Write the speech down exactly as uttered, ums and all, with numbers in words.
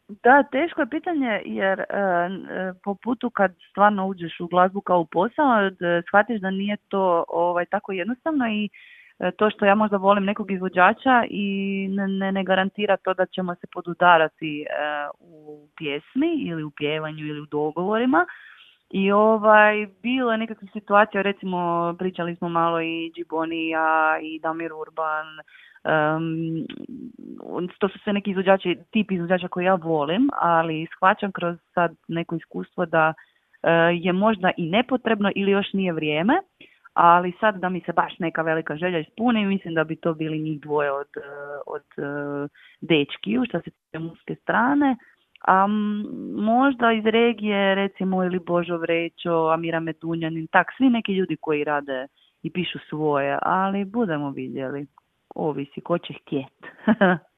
Da, teško je pitanje jer e, e, po putu kad stvarno uđeš u glazbu kao u posao, d- shvatiš da nije to ovaj, tako jednostavno i e, to što ja možda volim nekog izvođača i ne, ne, ne garantira to da ćemo se podudarati e, u pjesmi ili u pjevanju ili u dogovorima. I ovaj, bilo je nekakvih situacija, recimo pričali smo malo i Džiboni i ja i Damir Urban, um, to su sve neki izvođači, tip izvođača koji ja volim, ali shvaćam kroz sad neko iskustvo da eh, je možda i nepotrebno ili još nije vrijeme, ali sad da mi se baš neka velika želja ispuni, mislim da bi to bili njih dvoje od, eh, od eh, dečkiju, što se tiče muške strane. A m, možda iz regije, recimo, ili Božo Vrećo, Amira Medunjanin, tak, svi neki ljudi koji rade i pišu svoje, ali budemo vidjeli. Ovisi, ko će htjet.